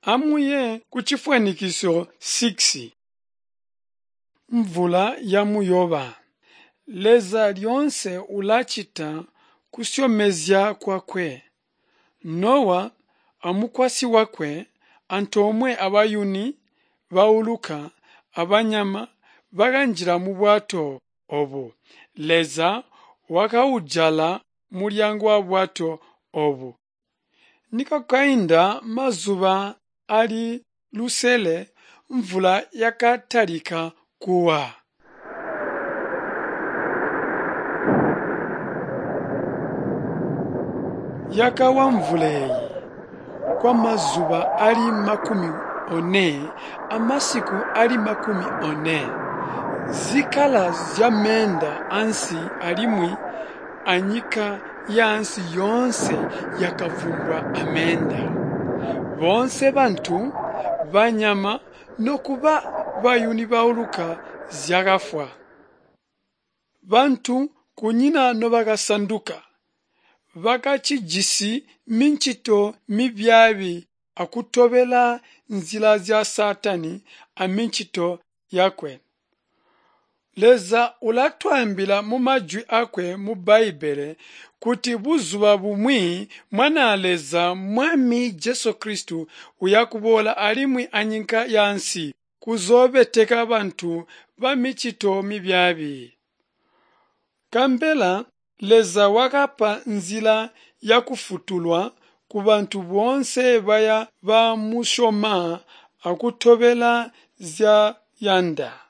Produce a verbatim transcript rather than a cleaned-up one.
Amuye kucifwanikiso six. Mvula ya muyoba. Leza lyoonse ulacita kusyomezya kwakwe. Nowa amukwasyi wakwe, antoomwe abayuni bauluka abanyama bakanjila mubwato obu. Leza wakaujala mulyango wabwato obu. Nikwakainda mazuba aali lusele mvula yakatalika kuwa. Yakawa mvula eeyi kwamazuba aali makumi one amasiku aali makumi one. Zikala zyameenda ansi alimwi anyika yaansi yoonse yakavumbwa ameenda. Boonse bantu, banyama nokuba bayuni bauluka zyakafwa. Bantu kunyina nobakasanduka. Bakacijisi micito mibyaabi akutobela nzila zya Saatani amicito yakwe. Leza ulatwaambila mumajwi aakwe mu Bbaibbele kuti buzuba bumwi Mwanaa Leza Mwami Jesu Kristo uyakuboola alimwi anyika yaansi kuzoobeteka bantu bamicito mibyaabi. Kambela Leza wakapa nzila yakufwutulwa kubantu boonse baya bamusyoma akutobela nzyayanda.